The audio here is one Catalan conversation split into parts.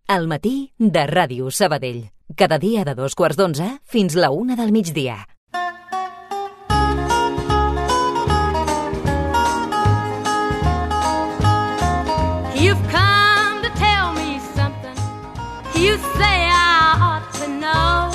Al matí de Ràdio Sabadell. Cada dia de 2:15 fins la 1 del migdia. You've come to tell me something. You say I ought to know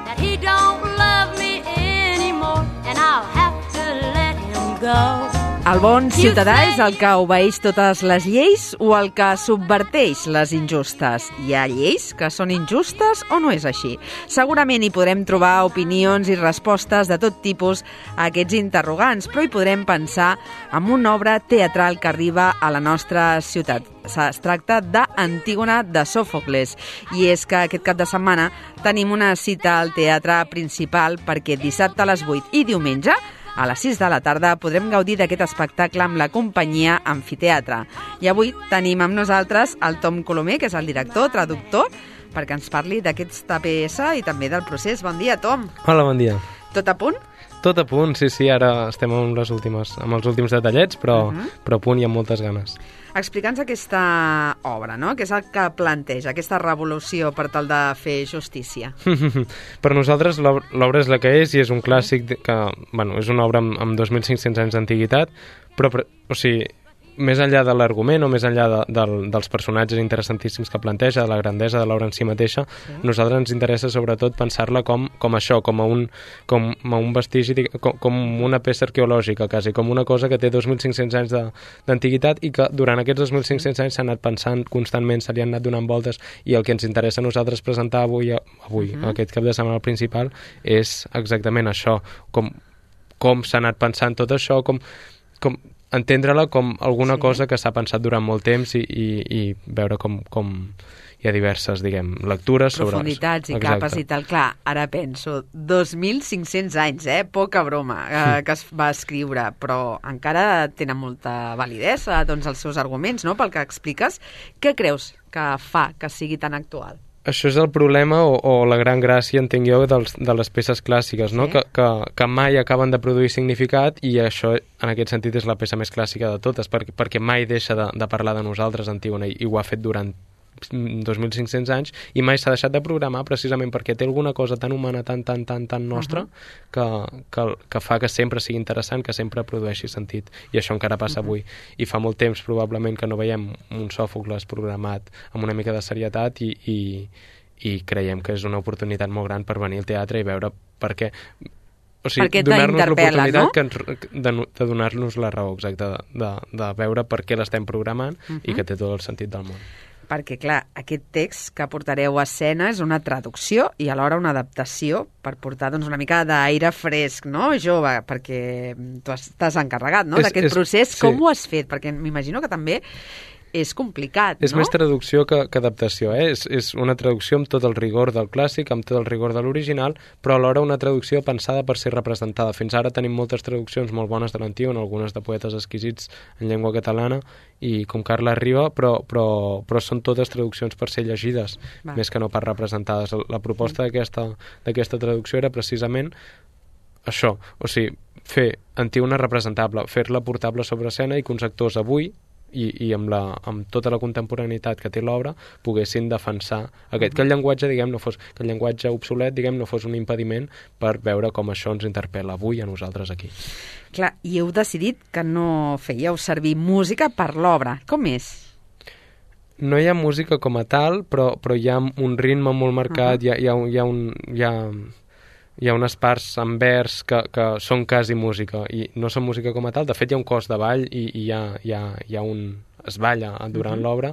that he don't love me anymore and I'll have to let him go. El bon ciutadà és el que obeeix totes les lleis o el que subverteix les injustes? Hi ha lleis que són injustes o no és així? Segurament hi podrem trobar opinions i respostes de tot tipus a aquests interrogants, però hi podrem pensar en una obra teatral que arriba a la nostra ciutat. Es tracta d'Antígona de Sòfocles, i és que aquest cap de setmana tenim una cita al teatre principal perquè dissabte a les 8 i diumenge a les 6 de la tarda podrem gaudir d'aquest espectacle amb la companyia Amfiteatre. I avui tenim amb nosaltres el Tom Colomer, que és el director, traductor, perquè ens parli d'aquesta peça i també del procés. Bon dia, Tom. Hola, bon dia. Tot a punt? Tot a punt, sí, ara estem amb els últims detallets, però a punt i amb moltes ganes. Explica'ns aquesta obra, no? Què és el que planteja, aquesta revolució per tal de fer justícia? Per nosaltres l'obra és la que és i és un clàssic que, és una obra amb 2.500 anys d'antiguitat, però o sigui, més enllà de l'argument o més enllà dels personatges interessantíssims que planteja, de la grandesa de l'obra en si mateixa, a nosaltres ens interessa sobretot pensar-la com això, com a un vestigi, com una peça arqueològica, quasi, com una cosa que té 2.500 anys d'antiguitat i que durant aquests 2.500 anys s'ha anat pensant constantment, se li han anat donant voltes, i el que ens interessa a nosaltres presentar avui aquest cap de setmana principal, és exactament això, com s'ha anat pensant tot això, com entendre-la com alguna cosa que s'ha pensat durant molt temps i veure com hi ha diverses, lectures sobre... Profunditats i capes i tal. Clar, ara penso, 2.500 anys, poca broma, que es va escriure, però encara tenen molta validesa, doncs, els seus arguments, no?, pel que expliques. Què creus que fa que sigui tan actual? Això és el problema o la gran gràcia, entenc jo, de les peces clàssiques, no? Que mai acaben de produir significat, i això, en aquest sentit, és la peça més clàssica de totes, perquè mai deixa de parlar de nosaltres, Antígona, i ho ha fet durant 2.500 anys, i mai s'ha deixat de programar precisament perquè té alguna cosa tan humana, tan nostra, que fa que sempre sigui interessant, que sempre produeixi sentit. I això encara passa avui. I fa molt temps, probablement, que no veiem un Sòfocles programat amb una mica de serietat, i creiem que és una oportunitat molt gran per venir al teatre i veure per què... O sigui, donar-nos l'oportunitat de donar-nos la raó, exacte, de veure per què l'estem programant i que té tot el sentit del món. Perquè, clar, aquest text que portareu a escena és una traducció i alhora una adaptació per portar, doncs, una mica d'aire fresc, no?, jove, perquè tu t'has encarregat, no?, d'aquest procés. Sí. Com ho has fet? Perquè m'imagino que també és complicat, no? És més traducció que adaptació, És una traducció amb tot el rigor del clàssic, amb tot el rigor de l'original, però alhora una traducció pensada per ser representada. Fins ara tenim moltes traduccions molt bones de l'Antígona, algunes de poetes exquisits en llengua catalana, i com Carles Riba, però són totes traduccions per ser llegides, més que no per representades. La proposta d'aquesta traducció era precisament això, o sigui, fer Antígona representable, fer-la portable sobre escena i que uns actors avui i amb tota la contemporaneïtat que té l'obra poguessin defensar que el llenguatge, que el llenguatge obsolet, no fos un impediment per veure com això ens interpel·la avui a nosaltres aquí. Clar, i heu decidit que no fèieu servir música per l'obra. Com és? No hi ha música com a tal, però hi ha un ritme molt marcat, hi ha unes parts en vers que són quasi música, i no són música com a tal. De fet, hi ha un cos de ball i es balla durant l'obra,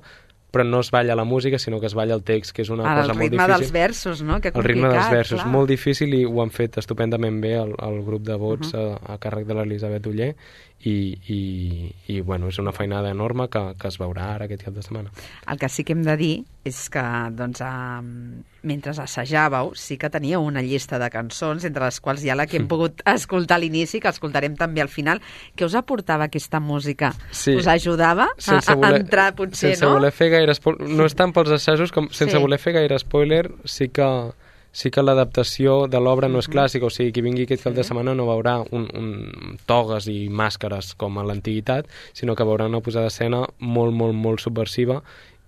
però no es balla la música, sinó que es balla el text, que és una cosa molt difícil. El ritme dels versos, no? Que el ritme dels versos, molt difícil, i ho han fet estupendament bé el grup de vots a càrrec de l'Elisabet Uller, i és una feinada enorme que es veurà ara aquest cap de setmana. El que sí que hem de dir és que, doncs, mentre assajàveu, sí que teníeu una llista de cançons, entre les quals hi ha la que hem pogut escoltar a l'inici, que escoltarem també al final. Què us aportava aquesta música? Sí. Us ajudava a entrar, potser, sense voler fer gaire spoiler, no és tant pels assajos com sense voler fer gaire spoiler, sí que l'adaptació de l'obra no és clàssica, o sigui, qui vingui aquest cap de setmana no veurà togues i màscares com a l'antiguitat, sinó que veurà una posada d'escena molt, molt, molt subversiva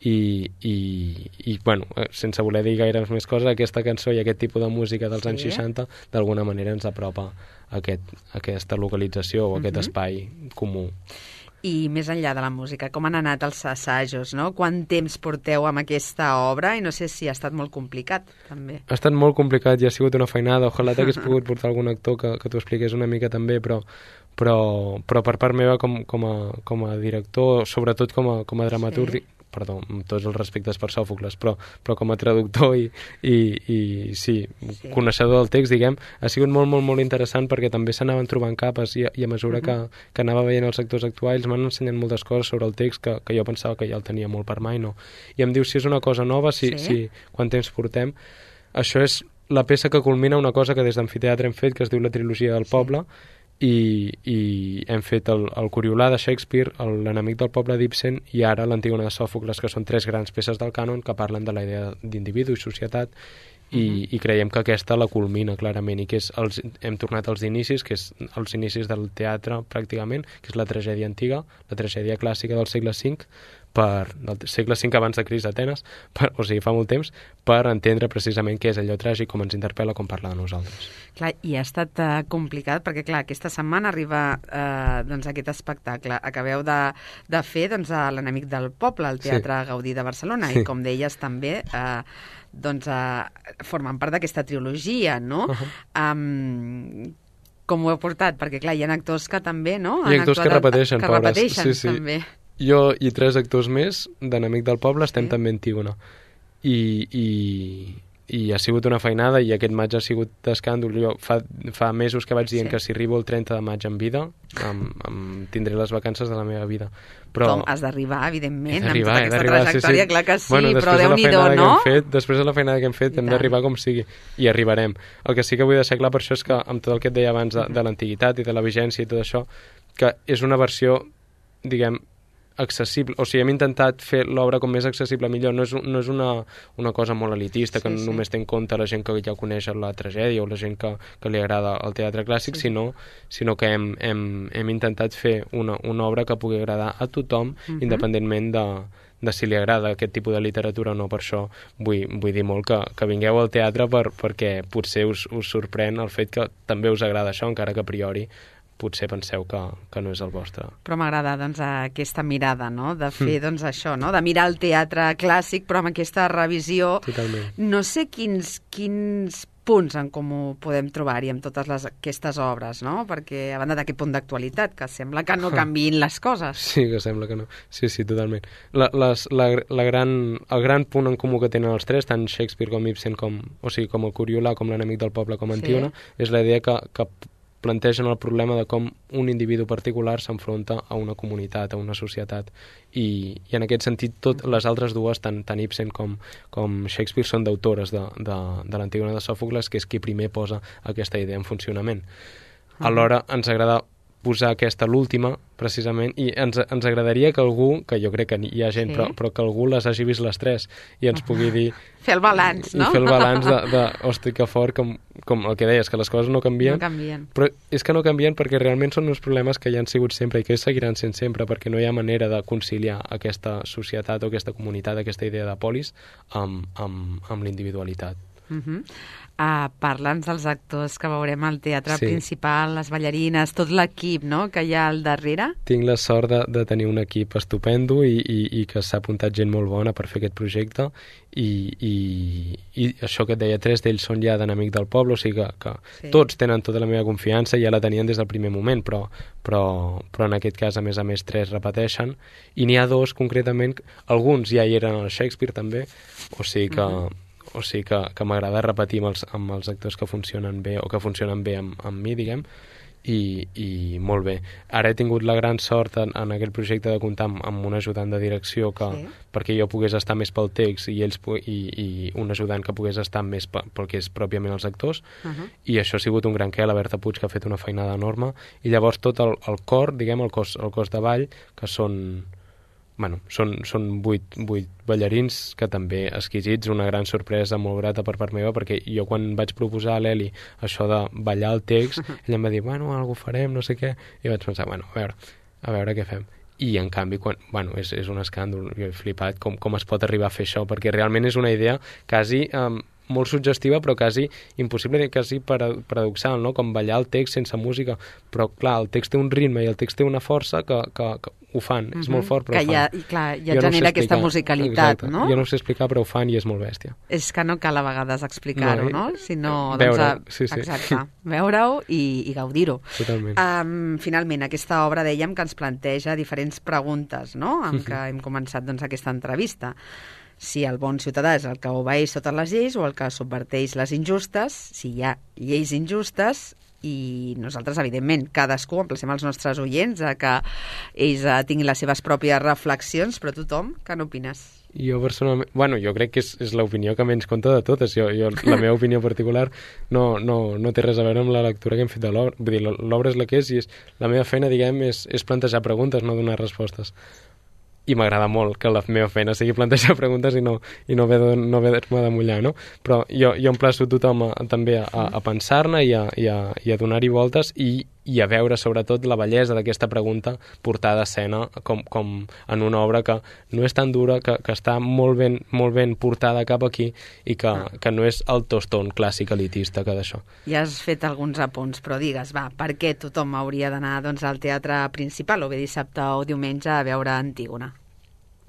i bueno, sense voler dir gaire més coses, aquesta cançó i aquest tipus de música dels anys 60 d'alguna manera ens apropa a aquesta localització o aquest espai comú. I més enllà de la música, com han anat els assajos, no? Quant temps porteu amb aquesta obra? I no sé si ha estat molt complicat, també. Ha estat molt complicat i ha sigut una feinada. Ojalà t'hagués pogut portar algun actor que t'ho expliqués una mica també, però per part meva com a director, sobretot com a dramaturg, perdó, amb tots els respectes per Sòfocles, però com a traductor i coneixedor del text, diguem, ha sigut molt, molt, molt interessant perquè també s'anaven trobant capes i a mesura que anava veient els actors actuals m'han ensenyat moltes coses sobre el text que jo pensava que ja el tenia molt per mai, no? I em diu si és una cosa nova, quant temps portem. Això és la peça que culmina una cosa que des d'Amfiteatre hem fet, que es diu la trilogia del poble, i hem fet el Coriolà de Shakespeare, l'enemic del poble d'Ibsen i ara l'Antígona de Sòfocles, que són 3 grans peces del cànon que parlen de la idea d'individu i societat i creiem que aquesta la culmina clarament i que hem tornat als inicis, que és els inicis del teatre pràcticament, que és la tragèdia antiga, la tragèdia clàssica del segle V, del segle V abans de Crist d'Atenes, o sigui, fa molt temps, per entendre precisament què és allò tràgic, com ens interpel·la, com parla de nosaltres. Clar, i ha estat complicat, perquè clar, aquesta setmana arriba doncs, aquest espectacle. Acabeu de fer doncs, l'enemic del poble, al Teatre Gaudí de Barcelona, i com deies també doncs, formen part d'aquesta trilogia, no? Com ho heu portat? Perquè clar, hi ha actors que també, no? Hi ha actors que repeteixen, també. Jo i 3 actors més d'Enemic del Poble estem també a Antígona. I ha sigut una feinada i aquest maig ha sigut d'escàndol. Jo fa mesos que vaig dient que si arribo el 30 de maig en vida tindré les vacances de la meva vida. Però has d'arribar, evidentment, amb tota aquesta trajectòria, clar que sí, bueno, però Déu-n'hi-do, no? Després de la feinada que hem fet hem d'arribar com sigui, i arribarem. El que sí que vull deixar clar per això és que amb tot el que et deia abans de l'antiguitat i de la vigència i tot això, que és una versió, diguem, accessible, o sigui, hem intentat fer l'obra com més accessible millor, no és una cosa molt elitista que només té en compte la gent que ja coneix la tragèdia o la gent que li agrada el teatre clàssic, sinó que hem intentat fer una obra que pugui agradar a tothom, independentment de si li agrada aquest tipus de literatura o no. Per això vull dir molt que vingueu al teatre perquè potser us sorprèn el fet que també us agrada això, encara que a priori potser penseu que no és el vostre. Però m'agrada doncs, aquesta mirada, no? De fer doncs, això, no? De mirar el teatre clàssic, però amb aquesta revisió. Totalment. No sé quins punts en comú podem trobar-hi amb totes aquestes obres, no? Perquè a banda d'aquest punt d'actualitat, que sembla que no canviïn les coses. Sí, que sembla que no. Sí, totalment. El gran punt en comú que tenen els 3, tant Shakespeare com Ibsen, com el Coriolà, com l'enemic del poble, com Antígona, és la idea que plantegen el problema de com un individu particular s'enfronta a una comunitat, a una societat, i en aquest sentit les altres dues, tant Ibsen com Shakespeare, són d'autores de l'Antígona de Sòfocles, que és qui primer posa aquesta idea en funcionament. Alhora ens agrada posar aquesta, l'última, precisament, i ens agradaria que algú, que jo crec que hi ha gent, però que algú les hagi vist les 3 i ens pugui dir... Fer el balanç, no? I fer el balanç hosti, que fort, com el que deies, que les coses no canvien. No canvien. Però és que no canvien perquè realment són uns problemes que ja han sigut sempre i que seguiran sent sempre, perquè no hi ha manera de conciliar aquesta societat o aquesta comunitat, aquesta idea de polis, amb l'individualitat. Parla'ns dels actors que veurem al teatre principal, les ballarines, tot l'equip, no?, que hi ha al darrere. Tinc la sort de tenir un equip estupendo i que s'ha apuntat gent molt bona per fer aquest projecte i això que et deia, 3 d'ells són ja d'Enemic del Poble, o sigui que tots tenen tota la meva confiança i ja la tenien des del primer moment, però en aquest cas a més 3 repeteixen i n'hi ha 2 concretament, alguns ja hi eren al Shakespeare també, o sigui que m'agrada repetir amb els actors que funcionen bé o que funcionen bé amb mi, diguem, i molt bé. Ara he tingut la gran sort en aquest projecte de comptar amb un ajudant de direcció perquè jo pogués estar més pel text i un ajudant que pogués estar més pel que és pròpiament els actors, i això ha sigut un gran què, la Berta Puig, que ha fet una feinada enorme, i llavors tot el cor, diguem, el cos de ball, que són 8 ballarins que també exquisits, una gran sorpresa molt grata per part meva, perquè jo quan vaig proposar a l'Eli això de ballar el text, ella em va dir, algú farem, no sé què, i vaig pensar, a veure què fem. i en canvi, és un escàndol. Jo he flipat com es pot arribar a fer això, perquè realment és una idea quasi molt suggestiva, però quasi impossible, quasi paradoxal, no? Com ballar el text sense música, però clar, el text té un ritme i el text té una força que ho fan, és molt fort, però que ho fan. Ja genera aquesta musicalitat, no? Jo no ho sé explicar, però ho fan i és molt bèstia. És que no cal a vegades explicar-ho, no? Sinó, veure-ho, sí. Exacte, veure-ho i gaudir-ho. Totalment. Finalment, aquesta obra dèiem que ens planteja diferents preguntes, no?, amb què hem començat aquesta entrevista. Si el bon ciutadà és el que obeeix totes les lleis o el que subverteix les injustes, si hi ha lleis injustes, i nosaltres, evidentment, cadascú, emplacem els nostres oients a que ells tinguin les seves pròpies reflexions, però tothom, què n'opines? Jo personalment, jo crec que és l'opinió que menys compta de totes. La meva opinió particular no té res a veure amb la lectura que hem fet de l'obra. Vull dir, l'obra és la que és i la meva feina, diguem, és plantejar preguntes, no donar respostes. I m'agrada molt que la meva feina sigui plantejar preguntes i no haver-me de mullar, no? Però jo emplaço tothom també a pensar-ne i a donar-hi voltes i a veure sobretot la bellesa d'aquesta pregunta portada a escena com en una obra que no és tan dura, que està molt ben portada cap aquí i que no és el tostón clàssic elitista que d'això. Ja has fet alguns apunts, però digues, per què tothom hauria d'anar al teatre principal o bé dissabte o diumenge a veure Antígona?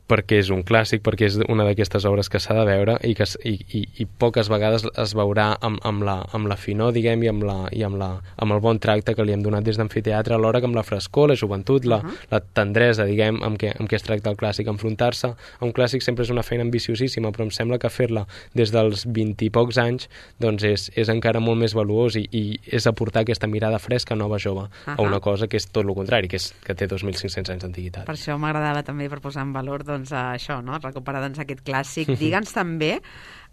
Perquè és un clàssic, perquè és una d'aquestes obres que s'ha de veure i poques vegades es veurà amb la finor, diguem, i amb el bon tracte que li hem donat des d'amfiteatre, alhora que amb la frescor, la joventut, la tendresa, diguem, amb què es tracta el clàssic. Enfrontar-se a un clàssic sempre és una feina ambiciosíssima, però em sembla que fer-la des dels 20 i pocs anys doncs és encara molt més valuós i és aportar aquesta mirada fresca, nova, jove, a una cosa que és tot el contrari, que té 2.500 anys d'antiguitat. Per això m'agradava també, per posar en valor això, no? Recuperar aquest clàssic. Digue'ns també,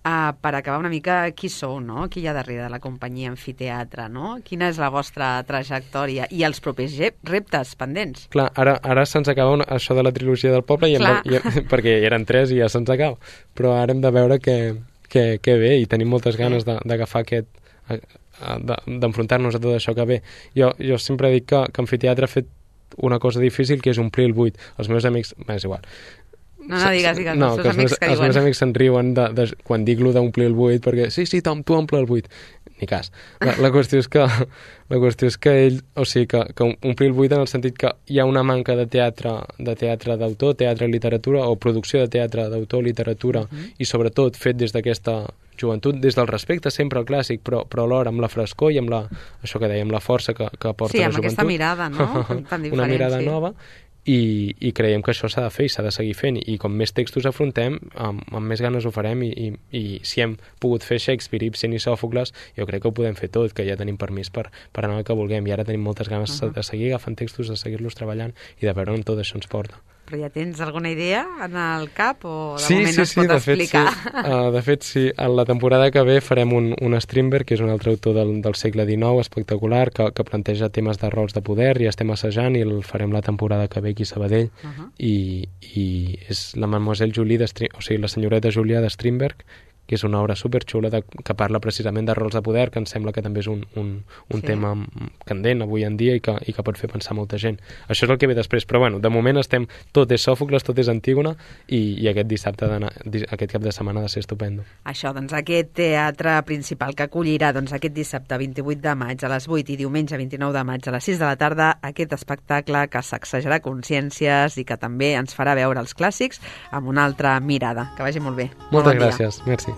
per acabar una mica, qui sou, no? Qui hi ha darrere de la companyia Amfiteatre, no? Quina és la vostra trajectòria i els propers reptes pendents? Clar, ara se'ns acaba això de la trilogia del poble perquè eren 3 i ja se'ns acaba, però ara hem de veure què ve i tenim moltes ganes d'agafar d'enfrontar-nos a tot això que ve. Jo sempre dic que Amfiteatre ha fet una cosa difícil, que és omplir el buit. Els meus amics... és igual. No, digues, no, els meus amics se'n riuen quan dic lo d'omplir el buit, perquè sí, Tom, tu omple el buit. Ni cas. La qüestió és que ell, o sigui, que omplir el buit en el sentit que hi ha una manca de teatre d'autor, teatre i literatura, o producció de teatre d'autor, literatura, i sobretot fet des d'aquesta joventut, des del respecte sempre al clàssic, però alhora amb la frescor i amb això que dèiem, la força que porta la joventut. Sí, amb aquesta mirada, no? Tan diferent, una mirada nova. I creiem que això s'ha de fer i s'ha de seguir fent, i com més textos afrontem, amb més ganes ho farem, i si hem pogut fer Shakespeare, Ibsen i Sòfocles, jo crec que ho podem fer tot, que ja tenim permís per anar al que vulguem, i ara tenim moltes ganes de seguir agafant textos, de seguir-los treballant i de veure on tot això ens porta. Però ja tens alguna idea en el cap o de moment no es pot explicar? De fet, sí. A la temporada que ve farem un Strindberg, que és un altre autor del segle XIX, espectacular, que planteja temes de rols de poder, i estem assajant, i el farem la temporada que ve aquí a Sabadell, i és la Mademoiselle Julie, o sigui, la senyoreta Julia de Strindberg, que és una obra superxula que parla precisament de rols de poder, que em sembla que també és un tema candent avui en dia i que pot fer pensar molta gent. Això és el que ve després, però bueno, de moment tot és Sòfocles, tot és Antígona, i aquest dissabte, aquest cap de setmana ha de ser estupendo. Això, doncs aquest teatre principal que acollirà aquest dissabte 28 de maig a les 8 i diumenge 29 de maig a les 6 de la tarda, aquest espectacle que sacsejarà consciències i que també ens farà veure els clàssics amb una altra mirada. Que vagi molt bé. Moltes gràcies, merci.